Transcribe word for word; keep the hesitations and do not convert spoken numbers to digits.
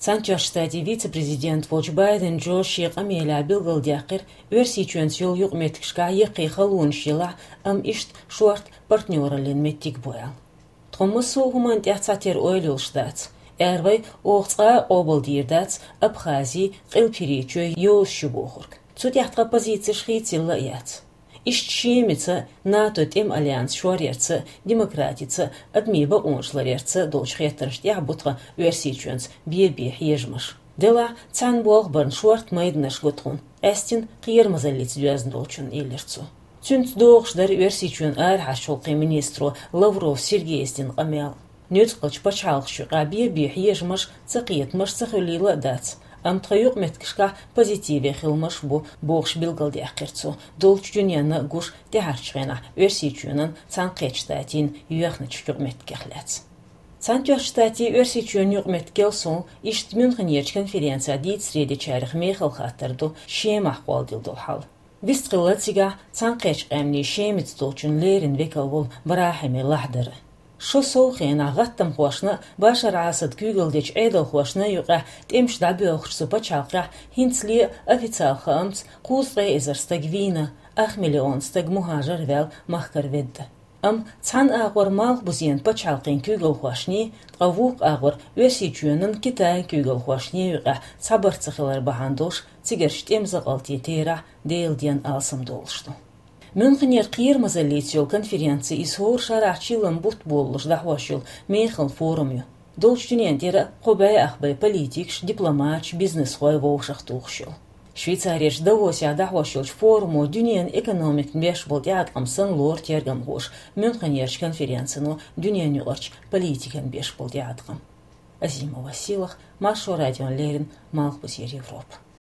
Цхьаьнатоьхначу Штатийн вице-президент волчу Байден Джо шен къамелехь билгалдаьккхира, Оьрсийчоьнца йолу юкъаметтигашкахь яккхий халонаш елахь, амма иштта шорта партнёраллин меттиг бу аьлла. Тхо массо а хӀуманна тӀехь цхьатерра ойла йолуш дац. Эр вай, оха цкъа а къобалдийр дац Абхази, Къилбаседа Чоь йозуш ю бохург. Цу тӀехь тхан позицеш хийцаелла а яц. Иштта Шемаца, НАТО тӀеман альянс шоръярца, демократица, адамийн бакъонаш ларъярца долчу хеттаршна тӀехь бу тхан Оьрсийчоьнца бен-бен хьежамаш. Делахь, цхьана болх барна шорта майданаш го тхуна, къаьстина кхерамазаллица доьзна долчунна, элира цо. Цуьнца догӀуш дара Оьрсийчоьнан арахьарчу гӀуллакхийн министро Лавров Сергейс дина къамел. Нуьцкъалчу пачхьалкхашна юкъахь бен-бен хьежамаш, цакхетамаш ца хуьлийла а дац, амма тхан юкъаметтигашкахь позитиве хиламаш бу, бохуш билгалдаьккхира цо, долчу дуьненна гуш тӀаьхьарчу хенахь Оьрсийчоьнан Цхьаьнакхеттачу Штатийн йоьхначу юкъаметтигех лаьцна. Цхьаьнатоьхначу Штатийн Оьрсийчоьнан юкъаметтигал сов иштта Мюнхенерчу конференцехь дийцаре дечарех мехала хаттар ду Шемахь кхолладелла долу хьал. Вистхилла цигахь Цхьаьнакхеттачу Къаьмнийн Шемаца долчун леррина векал волу БрахӀими Лахьдар. Шо сов хенахь гӀаттамхошна а, Башар Асадан куьйгалла дечу Ӏедалхошна а юкъахь тӀемаш дӀабоьлхучу цу пачхьалкхехь хӀинцале а официалан хаамца кхузткъе эзар стаг вийна, ах миллион стаг мухӀажар ваьлла махкара ведда. Амма цхьана агӀор Малхбузенан пачхьалкхийн куьйгалхошний, ткъа вукху агӀор Оьрсийчоьнан, Китайн куьйгалхошний юкъахь цхьабарт ца хилар бахьана долуш цигарчу тӀеман закъалтийн терахь Делан денна алсамдолуш ду. Мюнхенера кхерамазаллица йолу конференци иза хӀора шарахь чиллан бутт болалуш дӀахьош йолу мехала форум ю. Долчу дуьненна тӀера кхо бӀе ах бен политикаш, дипломаташ, бизнесхой вовшахтухуш йолу. Швейцарерчу Давосехь дӀахьош йолчу форумо дуьненан экономикана беш болу тӀеӀаткъам санна лору тергамхоша Мюнхенерчу конференцино дуьненаюкъарчу политикана беш болу тӀеӀаткъам. Азимова Силах, Маршо радиона леррина, Малхбузера Европа.